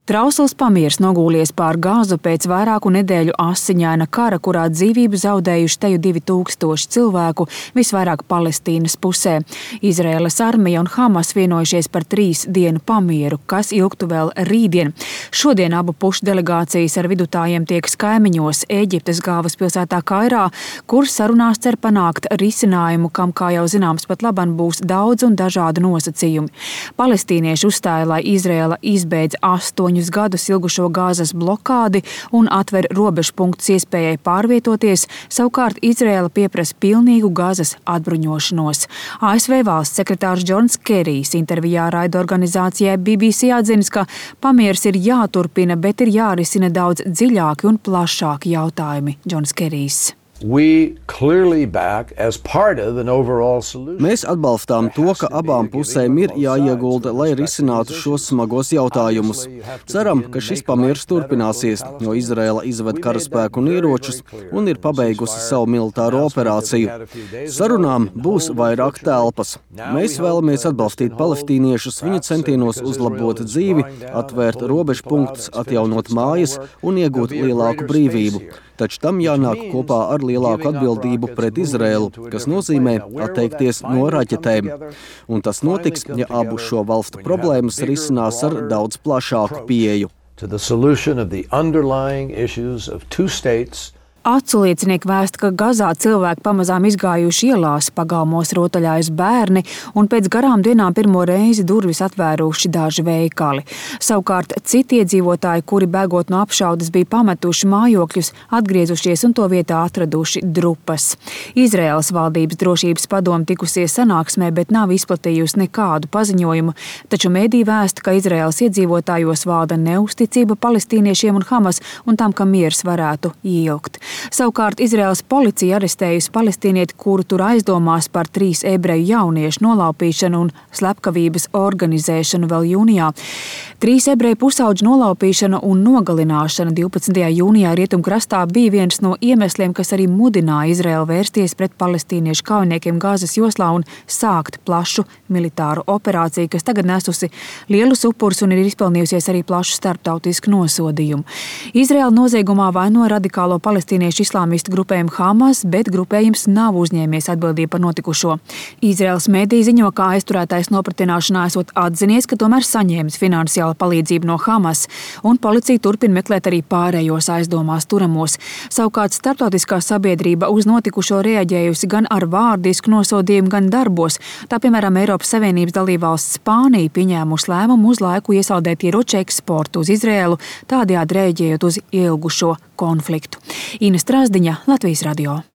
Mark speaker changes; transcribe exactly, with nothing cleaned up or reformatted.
Speaker 1: Trausls pamiers nogūlies pār Gāzu pēc vairāku nedēļu asiņaina kara, kurā dzīvību zaudējuši teju divi tūkstoši cilvēku, visvairāk Palestīnas pusē. Izraēlas armija un Hamas vienojušies par trīs dienu pamieru, kas ilgtu vēl rītdien. Šodien abu pušu delegācijas ar vidutājiem tieks kaimiņos Ēģiptes galvaspilsētā Kairā, kur sarunās cer panākt risinājumu, kam, kā jau zināms, pat laban būs daudz un dažādu nosacījumi. Palestīnieši uzstāja, lai Izraēla izbeidz astoņu gadus ilgušo Gāzes blokādi un atver robežpunktus iespējai pārvietoties, savukārt Izraēla pieprasa pilnīgu Gāzes atbruņošanos. A S V valsts sekretārs Džons Kerijs intervijā raidorganizācijai B B C atzinis, ka pamieris ir jāturpina, bet ir jārisina daudz dziļāki un plašāki jautājumi. Džons Kerijs.
Speaker 2: Mēs atbalstām to, ka abām pusēm ir jāiegulda, lai risinātu šos smagos jautājumus. Ceram, ka šis pamieris turpināsies, jo Izraēla izved karaspēku un ieročus un ir pabeigusi savu militāro operāciju. Sarunām būs vairāk telpas. Mēs vēlamies atbalstīt palestīniešus viņu centienos uzlabot dzīvi, atvērt robežpunktus, atjaunot mājas un iegūt lielāku brīvību. Taču tam jānāk kopā ar lielāku atbildību pret Izraēlu, kas nozīmē atteikties no raķetēm. Un tas notiks, ja abu šo valstu problēmas risinās ar daudz plašāku pieeju.
Speaker 1: Acu liecinieki vēsta, ka Gazā cilvēki pamazām izgājuši ielās, pagalmos rotaļājas bērni un pēc garām dienām pirmo reizi durvis atvēruši daži veikali. Savukārt citi iedzīvotāji, kuri bēgot no apšaudes bija pametuši mājokļus, atgriezušies un to vietā atraduši drupas. Izraēlas valdības drošības padome tikusies sanāksmē, bet nav izplatījusi nekādu paziņojumu, taču mēdī vēsta, ka Izraēlas iedzīvotājos valda neusticība palestīniešiem un Hamas un tam, ka miers varētu ieilgt. Savukārt Izraēlas policija arestējusi palestīnieti, kuru tur aizdomās par trīs ebreju jauniešu nolaupīšanu un slepkavības organizēšanu vēl jūnijā. Trīs ebreju pusauģu nolaupīšana un nogalināšana divpadsmitajā jūnijā Rietumkrastā bija viens no iemesliem, kas arī mudināja Izraēlu vērsties pret palestīniešu kaujiniekiem Gāzes joslā un sākt plašu militāru operāciju, kas tagad nesusi lielus upurus un ir izpelnījusies arī plašu starptautisku nosodījumu. Izraēla noziegumā vaino radikālo palestīniešu islāmistu grupējumu Hamas, bet grupējums nav uzņēmies atbildību par notikušo. Izraēlas mediji ziņo, ka aizturētais nopratināšanā esot atzinies, ka tomēr saņēmis finansiālu palīdzību no Hamas, un policija turpina meklēt arī pārējos aizdomās turamos. Savukārt starptautiskā sabiedrība uz notikušo reaģējusi gan ar vārdisku nosodījumu, gan darbos. Tā, piemēram, Eiropas Savienības dalībvalsts Spānija pieņēmusi lēmumu uz laiku iesaldēt ieroču eksportu uz Izraēlu, tādējādi reaģējot uz ilgušo konfliktu. Ina Strasdiņa, Latvijas radio.